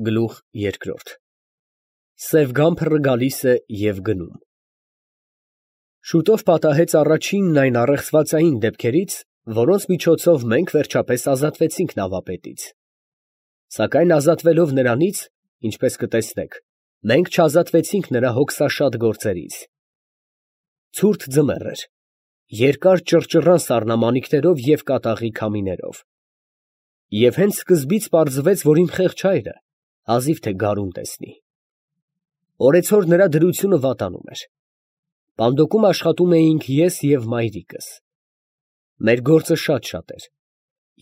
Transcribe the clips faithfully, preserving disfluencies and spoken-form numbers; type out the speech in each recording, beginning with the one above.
Գլուխ երկրորդ Սև գամբրը գալիս է և գնում։ Շուտով պատահեց առաջինն այն առեղծվածային դեպքերից, որոնց միջոցով մենք վերջապես ազատվեցինք նավապետից. սակայն ազատվելով նրանից, ինչպես կտեսնեք, մենք չազատվեցինք նրա հոգսաշատ գործերից։ Ցուրտ ձմեռ էր, երկար ճռճռան սառնամանիքներով և կատաղի քամիներով։ Եվ հենց սկզբից պարզվեց, որ իմ խեղճ հայրը հազիվ թե գարուն տեսնի։ Օրեցօր նրա դրությունը վատանում էր։ Պանդոկում աշխատում էինք ես և մայրիկս։ Մեր գործը շատ֊շատ էր,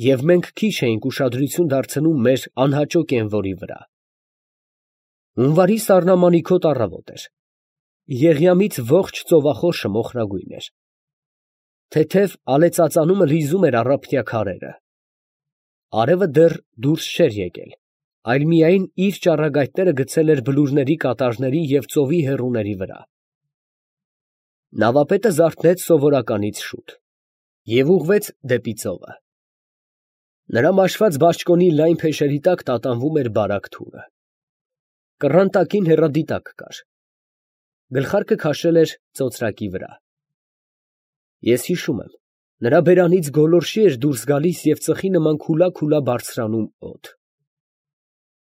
և մենք քիչ էինք ուշադրություն դարձնում մեր անհաճո կենվորի վրա։ Հունվարի սառնամանիքոտ առավոտ էր։ Եղյամից ողջ ծովախորշը մոխրագույն էր։ Թեթև ալեծածանումը լիզում էր առափնյա քարերը։ Արևը դեռ դուրս չէր եկել, այլ միայն իր ճառագայթները գցել էր բլուրների կատարների և ծովի հեռուների վրա։ Նավապետը զարթնեց սովորականից շուտ և ուղղվեց դեպի ծովը։ Նրա մաշված բաճկոնի լայն փեշերի տակ տատանվում էր բարակ թուրը։ Կռան տակին հեռադիտակ կար։ Գլխարկը քաշել էր ծոծրակի վրա։ Ես հիշում եմ, նրա բերանից գոլորշի էր դուրս գալիս և ծխի նման քուլա֊քուլա բարձրանում օդ։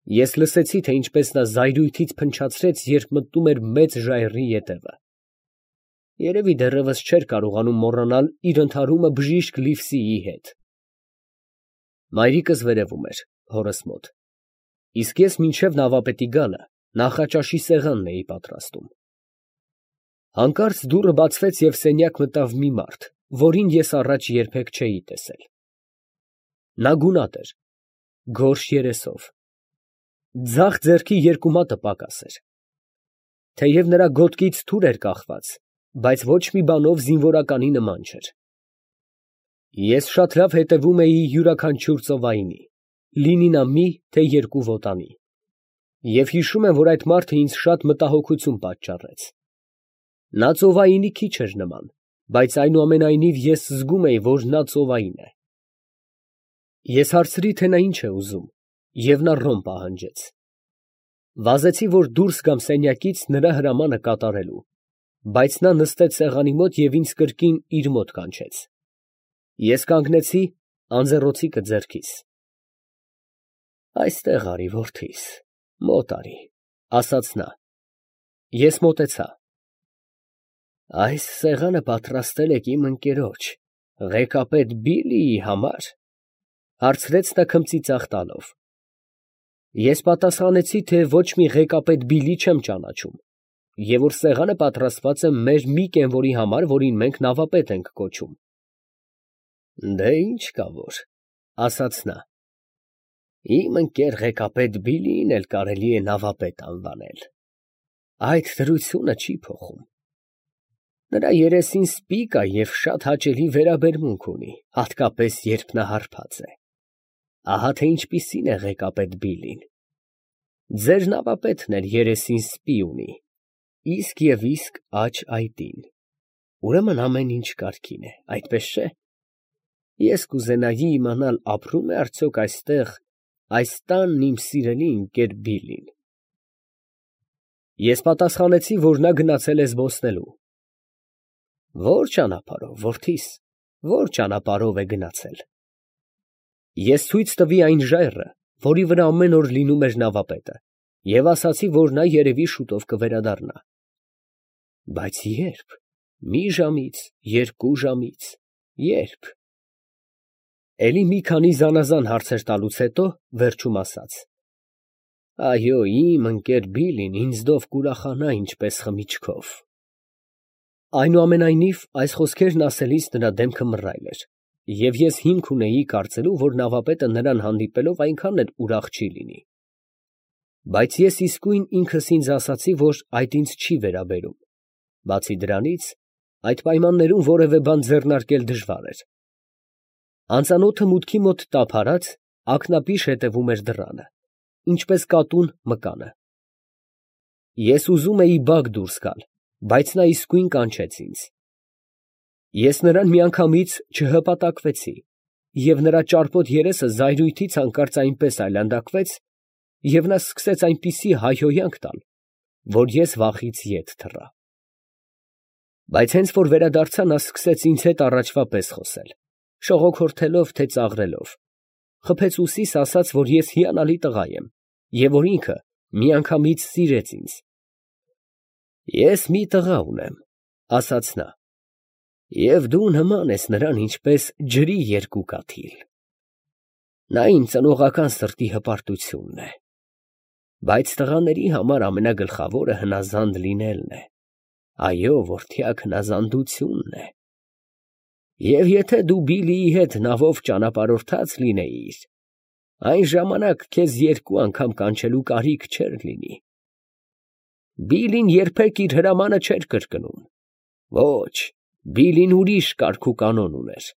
Ես լսեցի, թե ինչպես նա զայրույթից փնչացրեց, երբ մտնում էր մեծ ժայռի ետևը։ Երևի դեռևս չէր կարողանում մոռանալ իր ընդհարումը բժիշկ Լիվսիի հետ։ Մայրիկս վերևում էր, հորս մոտ, իսկ ես մինչև նավապետի գալը նախաճաշի սեղանն էի պատրաստում։ Հանկարծ դուռը բացվեց և սենյակ մտավ մի մարդ, որին ես առաջ երբեք չէի տեսել։ Նա գունատ էր, գորշ երեսով, ձախ ձեռքի երկու մատը պակաս էր։ Թեև նրա գոտկից թուր էր կախված, բայց ոչ մի բանով զինվորականի նման չէր։ Ես շատ լավ հետևում էի յուրաքանչյուր ծովայինի, լինի նա մի, թե երկու վոտանի, և հիշում եմ, որ այդ մարդը ինձ շատ մտահոգություն պատճառեց։ Նա ծովայինի քիչ էր նման, բայց այնուամենայնիվ ես զգում էի, որ նա ծովային է։ Ես հարցրի, թե նա ինչ է ուզում, և նա ռոմ պահանջեց։ Վազեցի, որ դուրս գամ սենյակից նրա հրամանը կատարելու, բայց նա նստեց սեղանի մոտ և ինձ կրկին իր մոտ կանչեց։ Ես կանգնեցի, անձեռնոցիկը ձեռքիս։ «Այստեղ արի, որդիս, մոտ արի», ֊ ասաց նա։ Ես մոտեցա։ «Այս սեղանը պատրաստել եք իմ ընկերոջ, ղեկապետ Բիլիի համար, ֊ հարցրեց նա քմծիծաղ տալով։ Ես պատասխանեցի, թե ոչ մի ղեկապետ Բիլի չեմ ճանաչում, և որ սեղանը պատրաստված է մեր մի կենվորի համար, որին մենք նավապետ ենք կոչում։ «Դե ինչ կա որ, ֊ ասաց նա, ֊ իմ ընկեր ղեկապետ Բիլիին էլ կարելի է նավապետ անվանել, այդ դրությունը չի փոխում։ Նրա երեսին սպի կա և շատ հաճելի վերաբերմունք ունի, հատկապես երբ նա հարբած է։ Ահա թե ինչպիսին է ղեկապետ Բիլին. ձեր նավապետն էլ երեսին սպի ունի, իսկ և իսկ աջ այտին, ուրեմն ամեն ինչ կարգին է, այդպես չէ։ Ես կուզենայի իմանալ, ապրո՞ւմ է արդյոք այստեղ, այս տանն իմ սիրելի ընկեր Բիլին։ Ես պատասխանեցի, որ նա գնացել է զբոսնելու։ Ո՞ր ճանապարհով, որդիս, ո՞ր ճանապարհով է գնացել։ Ես ցույց տվի այն ժայռը, որի վրա ամեն օր լինում էր նավապետը, և ասացի, որ նա երևի շուտով կվերադառնա։ Բայց ե՞րբ, մի ժամից, երկու ժամից, ե՞րբ։ Էլի մի քանի զանազան հարցեր տալուց հետո վերջում ասաց. «Այո, իմ ընկեր Բիլին ինձնով կուրախանա ինչպես խմիչքով»։ Այնուամենայնիվ, այս խոսքերն ասելիս նրա դեմքը մռայլ էր, և ես հիմք ունեի կարծելու, որ նավապետը նրան հանդիպելով այնքան էլ ուրախ չի լինի։ Բայց ես իսկույն ինքս ինձ ասացի, որ այդ ինձ չի վերաբերում, բացի դրանից, այդ պայմաններում որևէ բան ձեռնարկել դժվար էր։ Անծանոթը մուտքի մոտ տափ արած, ակնապիշ հետևում էր դռանը, ինչպես կատուն մկանը։ Ես ուզում էի բակ դուրս գալ, բայց նա իսկույն կանչեց ինձ։ Ես նրան միանգամից չհպատակվեցի, և նրա ճարպոտ երեսը զայրույթից հանկարծ այնպես այլանդակվեց, և նա սկսեց այնպիսի հայհոյանք տալ, որ ես վախից ետ թռա։ Բայց հենց որ վերադարձա, նա սկսեց ինձ հետ առաջվա պես խոսել, շողոքորթելով, թե ծաղրելով, խփեց ուսիս, ասաց, որ ես հիանալի տղա եմ, և որ ինքը միանգամից սիրեց ինձ։ Ես մի տղա ունեմ, ասաց նա, և դու նման ես նրան, ինչպես ջրի երկու կաթիլ։ Նա իմ ծնողական սրտի հպարտությունն է, բայց տղաների համար ամենագլխավորը հնազանդ լինելն է, այո, որդյակ հնազանդությունն է։ Եվ եթե դու Բիլիի հետ նավով ճանապարհորդած լինեիր, այն ժամանակ քեզ երկու անգամ կանչելու կարիք չէր լինի։ Բիլին երբեք իր հրամանը չէր կրկնում, ոչ, Բիլին ուրիշ կարգ ու կանոն ուներ։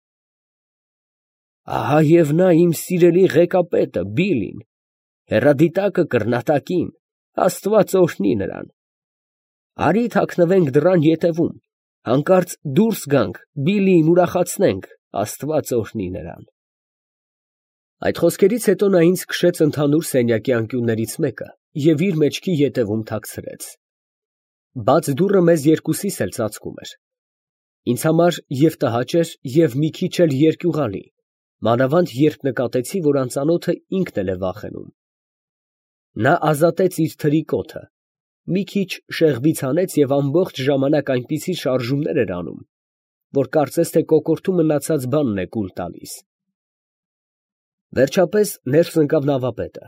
Ահա և նա իմ սիրելի ղեկապետը Բիլին, հեռադիտակը կռնատակին, Աստված օրհնի նրան։ Արի թաքնվենք դռան ետևում, հանկարծ դուրս գանք, Բիլիին ուրախացնենք, Աստված օրհնի նրան։ Այդ խոսքերից հետո նա ինձ քշեց ընդհանուր սենյակի անկյուններից մեկը և իր մեջքի ետևում թաքցրեց։ Բաց դուռը մեզ երկուսիս էլ ծածկում էր։ Ինձ համար և տհաճ էր, և մի քիչ էլ երկյուղալի, մանավանդ երբ նկատեցի, որ անծանոթը ինքն էլ է վախենում։ Նա ազատեց իր թրիկոթը, մի քիչ շեղբից հանեց և ամբողջ ժամանակ այնպիսի շարժումներ էր անում, որ կարծես թե կոկորդու մնացած բանն է կուլ տալիս։ Վերջապես ներս ընկավ նավապետը,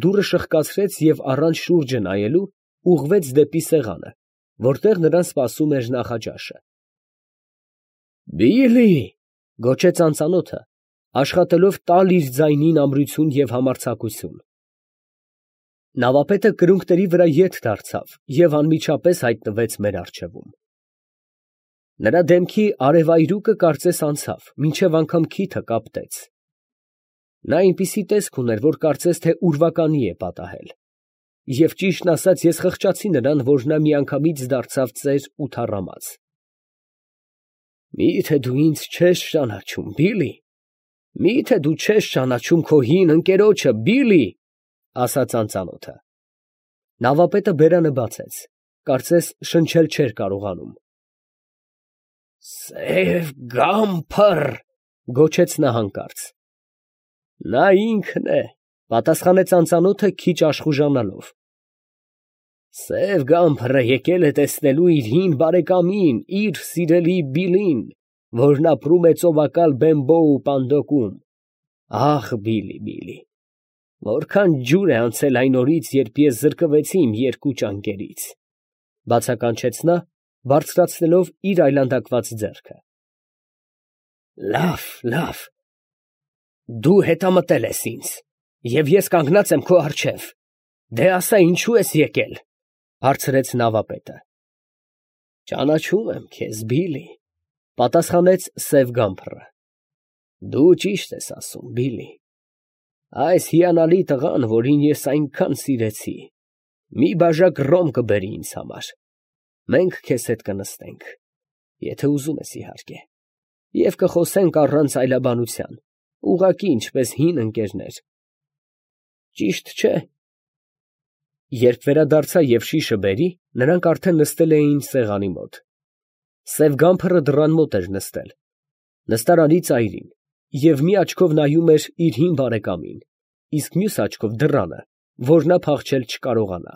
դուռը շրխկացրեց և առանց շուրջը նայելու ուղղվեց դեպի սեղանը, որտեղ նրան սպասում էր նախաճաշը։ Բիլի, գոչեց անծանոթը, աշխատելով տալ իր ձայնին ամրություն և համարձակություն։ Նավապետը կրունկների վրա ետ դարձավ և անմիջապես հայտնվեց մեր առջևում։ Նրա դեմքի արևայրուկը կարծես անցավ, մինչև անգամ քիթը կապտեց։ Նա այնպիսի տեսք ուներ, որ կարծես թե ուրվականի է պատահել, և ճիշտն ասած ես խղճացի նրան, որ նա միանգամից դարձավ ծեր ու թառամած։ Մի՞թե դու ինձ չես ճանաչում, Բիլի, մի՞թե դու չես ճանաչում քո հին ընկերոջը, Բիլի, ասաց անծանոթը։ Նավապետը բերանը բացեց, կարծես շնչել չէր կարողանում։ Սև Գամփր, գոչեց նա հանկարծ։ Նա ինքն է, պատասխանեց անծանոթը քիչ աշխուժանալով։ Սև Գամփրը եկել է տեսնելու իր հին բարեկամին, իր սիրելի Բիլին, որն ապրում է ծովակալ Բեմբոու պանդոկում։ Ախ, Բիլի, Բիլի, որքան ջուր է անցել այն օրից, երբ ես զրկվեցի իմ երկու ճանկերից, բացականչեց նա, բարձրացնելով իր այլանդակված ձեռքը։ Լավ, լավ, դու հետամտել ես ինձ, և ես կանգնած եմ քո առջև, դե ասա, ինչու ես եկել, հարցրեց նավապետը։ Ճանաչում եմ քեզ, Բիլի, պատասխանեց Սև Գամփրը։ Դու ճիշտ ես ասում, Բիլի, այս հիանալի տղան, որին ես այնքան սիրեցի, մի բաժակ ռոմ կբերի ինձ համար, մենք քեզ հետ կնստենք, եթե ուզում ես իհարկե, և կխոսենք առանց այլաբանության, ուղղակի ինչպես հին ընկերներ։ Ճիշտ չէ։ Երբ վերադարձա և շիշը բերի, նրանք արդեն նստել էին սեղանի մոտ։ Սև Գամփրը դռան մոտ էր նստել, նստարանի ծայրին, և մի աչքով նայում էր իր հին բարեկամին, իսկ մյուս աչքով դռանը, որ նա փախչել չկարողանա։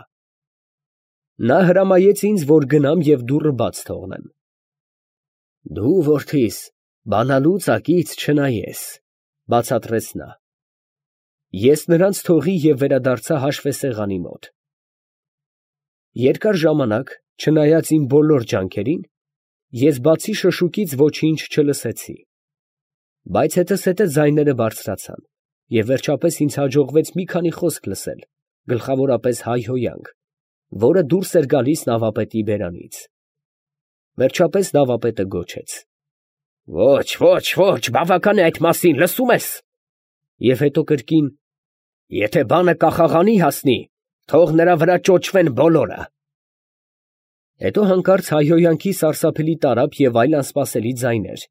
Նա հրամայեց ինձ, որ գնամ և դուռը բաց թողնեմ։ Դու, որդիս, բանալու ծակից չնայես, բացատրեց նա։ Ես նրանց թողի և վերադարձա հաշվեսեղանի մոտ։ Երկար ժամանակ, չնայած իմ բոլոր ջանքերին, ես բացի շշուկից ոչինչ չլսեցի, բայց հետզհետե ձայները բարձրացան, և վերջապես ինձ հաջողվեց մի քանի խոսք լսել, գլխավորապես հայհոյանք, որը դուրս էր գալիս նավապետի բերանից։ Վերջապես նավապետը գոչեց. Ոչ, ոչ, ոչ, բավական է այդ մասին, լսում ես։ Եվ հետո կրկին. Եթե բանը կախաղանի հասնի, թող նրա վրա ճոճվեն բոլորը։ Հետո հանկարծ հայհոյանքի սարսափելի տարափ և այլ անսպասելի ձայներ։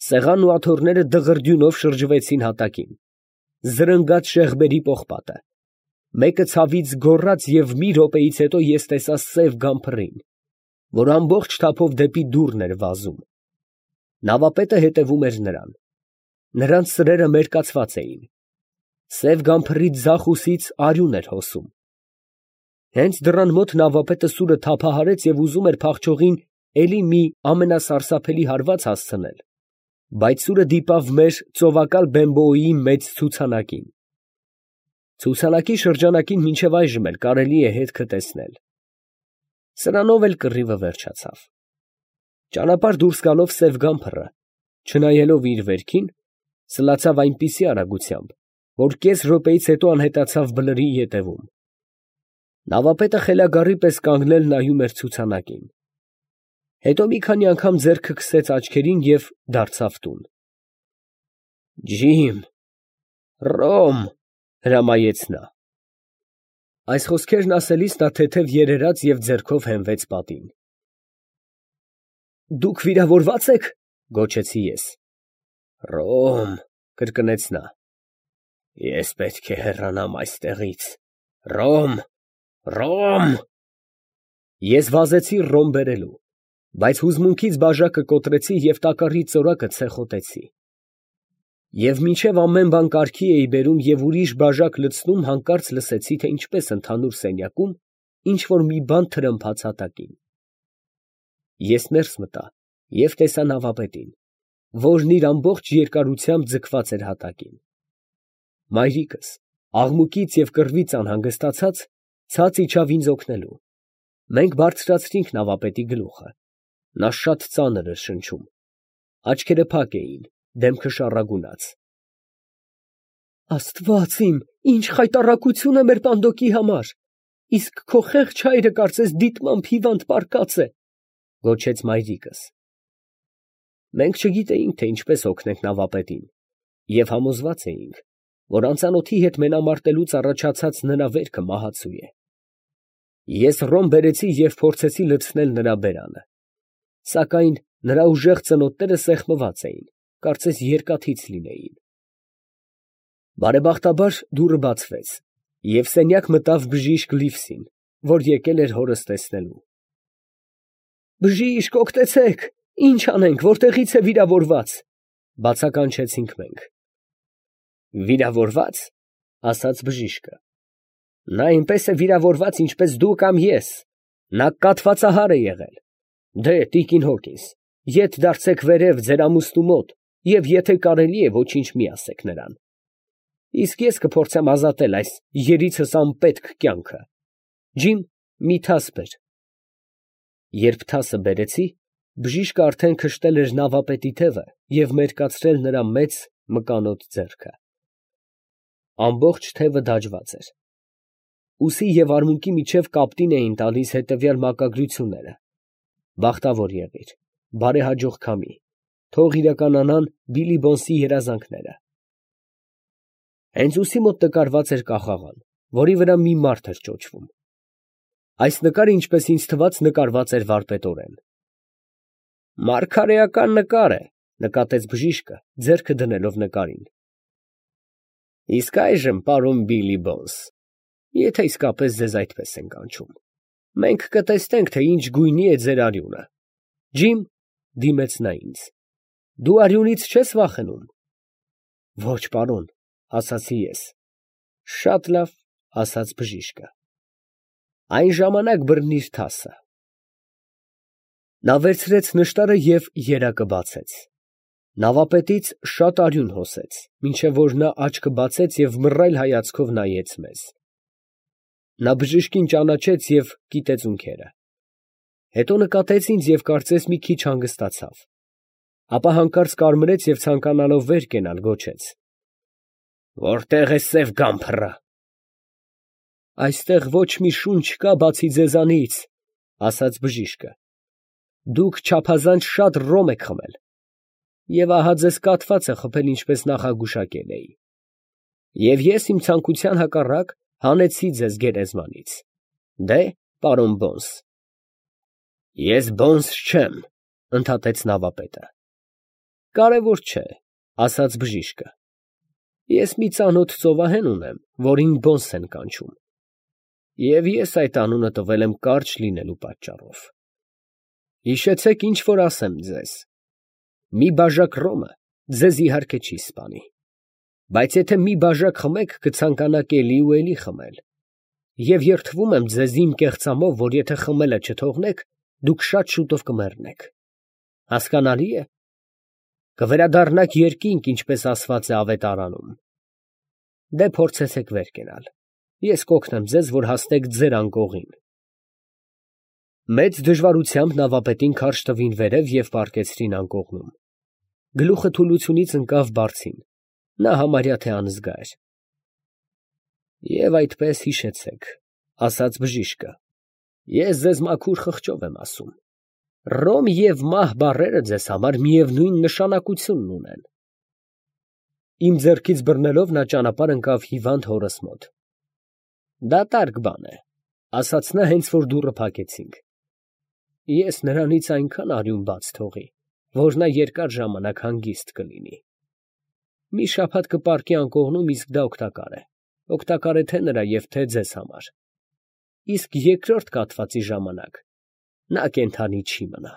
Սեղանն ու աթոռները դղրդյունով շրջվեցին հատակին, զրնգաց շեղբերի պողպատը։ Մեկը ցավից գոռաց և մի րոպեից հետո ես տեսա սև գամփռին, որ ամբողջ թափով դեպի դուռն էր վազում. նավապետը հետևում էր նրան, նրանց սրերը մերկացված էին, սև գամփռի ձախ ուսից արյուն էր հոսում։ Հենց դռան մոտ նավապետը սուրը թափահարեց և ուզում էր փախչողին էլի մի ամենասարսափելի հարված հասցնել, բայց սուրը դիպավ մեր ծովակալ Բեմբոյի մեծ ցուցանակին։ Ցուցանակի շրջանակին մինչև այժմ էլ կարելի է հետքը տեսնել։ Սրանով էլ կռիվը վերջացավ։ Ճանապարհ դուրս գալով սև գամփռը, չնայելով իր վերքին, սլացավ այնպիսի արագությամբ, որ կես րոպեից հետո անհետացավ բլրի ետևում։ Նավապետը խելագարի պես կանգնել նայում էր ցուցանակին։ Հետո մի քանի անգամ ձեռքը քսեց աչքերին և դարձավ տուն։ «Ջիմ, Ռոմ», հրամայեց նա։ Այս խոսքերն ասելիս նա թեթև երերաց և ձեռքով հենվեց պատին։ «Դուք վիրավորվա՞ծ եք», գոչեցի ես։ «Ռոմ», կրկնեց նա։ «Ես պետք է հեռանամ այստեղից, Ռոմ, Ռոմ»։ Ես վազեցի Ռոմ բերելու, բայց հուզմունքից բաժակը կոտրեցի և տակառի ծորակը ցեխոտեցի։ Եվ մինչև ամեն բան կարգի էի բերում և ուրիշ բաժակ լցնում, հանկարծ լսեցի, թե ինչպես ընդհանուր սենյակում ինչ֊որ մի բան թրմփաց հատակին։ Ես ներս մտա և տեսա նավապետին, որն իր ամբողջ երկարությամբ ձգված էր հատակին։ Մայրիկս, աղմուկից և կռվից անհանգստացած, ցած իջավ ինձ օգնելու։ Մենք բարձրացրինք նավապետի գլուխը, նա շատ ծանր էր շնչում, աչքերը փակ էին, դեմքը շառագունած։ «Աստված իմ, ի՜նչ խայտառակություն է մեր պանդոկի համար, իսկ քո խեղճ հայրը կարծես դիտմամբ հիվանդ պառկած է», ֊ գոչեց մայրիկս։ Մենք չգիտեինք, թե ինչպես օգնենք նավապետին, և համոզված էինք, որ անծանոթի հետ մենամարտելուց առաջացած նրա վերքը մահացու է։ Ես ռոմ բերեցի և փորձեցի լցնել նրա բերանը, սակայն նրա ուժեղ ծնոտները սեղմված էին, կարծես երկաթից լինեին։ Բարեբախտաբար դուռը բացվեց, և սենյակ մտավ բժիշկ Լիվսին, որ եկել էր հորս տեսնելու։ «Բժիշկ, օգնեցե՛ք, ի՞նչ անենք, որտեղի՞ց է վիրավորված», ֊ բացականչեցինք մենք։ «Վիրավորվա՞ծ», ֊ ասաց բժիշկը։ «Նա այնպես է վիրավորված, ինչպես դու կամ ես, նա կաթվածահար է եղել։ Դե, տիկին Հոկինս, ետ դարձեք վերև ձեր ամուսնու մոտ և եթե կարելի է, ոչինչ մի ասեք նրան, իսկ ես կփորձեմ ազատել այս երիցս անպետք կյանքը։ Ջիմ, մի թաս բեր»։ Երբ թասը բերեցի, բժիշկը արդեն քշտել էր նավապետի թևը և մերկացրել նրա մեծ մկանոտ ձեռքը։ Ամբողջ թևը դաջված էր։ Ուսի և արմունկի միջև կապտին էին տալիս հետևյալ մակագրությունները. «Բախտավոր եղիր», «Բարեհաջող քամի», «Թող իրականանան Բիլիբոնսի երազանքները»։ Հենց ուսի մոտ նկարված էր կախաղան, որի վրա մի մարդ էր ճոճվում։ Այս նկարը, ինչպես ինձ թվաց, նկարված էր վարպետորեն։ «Մարգարեական նկար է», ֊ նկատեց բժիշկը, ձեռքը դնելով նկարին։ «Իսկ այժմ, պարոն Բիլիբոնս, եթե իսկապես ձեզ այդպես են կանչում, մենք կտեսնենք, թե ինչ գույնի է ձեր արյունը։ Ջիմ, ֊ դիմեց նա ինձ, ֊ դու արյունից չե՞ս վախենում»։ «Ոչ, պարոն», ֊ ասացի ես։ «Շատ լավ», ֊ ասաց բժիշկը։ «Այն ժամանակ բռնիր թասը»։ Նա վերցրեց նշտարը և երակը բացեց։ Նավապետից շատ արյուն հոսեց, մինչև որ նա աչքը բացեց և մռայլ հայացքով նայեց մեզ։ Նա բժշկին ճանաչեց և կիտեց ունքերը։ Հետո նկատեց ինձ և կարծես մի քիչ հանգստացավ, ապա հանկարծ կարմրեց և ցանկանալով վեր կենալ, գոչեց. «Որտե՞ղ է սև գամփռը»։ «Այստեղ ոչ մի շունչ չկա, բացի ձեզանից», ֊ ասաց բժիշկը։ «Դուք չափազանց շատ ռոմ եք խմել, և ահա ձեզ կաթվածը խփել, ինչպես նախագուշակել էի։ Եվ ես իմ ցանկության հակառակ հանեցի ձեզ գերեզմանից։ Դե, պարոն Բոնս»։ «Ես Բոնս չեմ», ֊ ընդհատեց նավապետը։ «Կարևոր չէ», ֊ ասաց բժիշկը։ Ես մի ծանոթ ծովահեն ունեմ, որին Բոնս են կանչում, և ես այդ անունը տվել եմ կարճ լինելու պատճառով։ Հիշեցեք, ինչ որ ասեմ ձեզ. մի բաժակ ռոմը ձեզ իհարկե չի սպանի, բայց եթե մի բաժակ խմեք, կցանկանաք էլի ու էլի խմել, և երդվում եմ ձեզ իմ կեղծամով, որ եթե խմելը չթողնեք, դուք շատ շուտով կմեռնեք։ Հասկանալի է։ Կվերադառնաք երկինք, ինչպես ասված է Ավետարանում։ Դե փորձեցեք վեր կենալ, ես կօգնեմ ձեզ, որ հասնեք ձեր անկողին։ Մեծ դժվարությամբ նավապետին քարշ տվին վերև և պառկեցրին անկողնում։ Գլուխը թուլությունից ընկավ բարձին, նա համարյա թե անզգա էր։ Եվ այդպես հիշեցեք, ասաց բժիշկը, ես ձեզ մաքուր խղճով եմ ասում, Ռոմ և մահ բառերը ձեզ համար միևնույն նշանակությունն ունեն։ Իմ ձեռքից բռնելով նա ճանապարհ ընկավ հիվանդ հորս մոտ։ Դատարկ բան է, ասաց նա, հենց որ դուռը փակեցինք։ Ես նրանից այնքան արյուն բաց թողի, որ նա երկար ժամանակ հանգիստ կլինի։ Մի շաբաթ կպառկի անկողնում, իսկ դա օգտակար է, օգտակար է թե նրա և թե ձեզ համար։ Իսկ երկրորդ կաթվածի ժամանակ նա կենդանի չի մնա։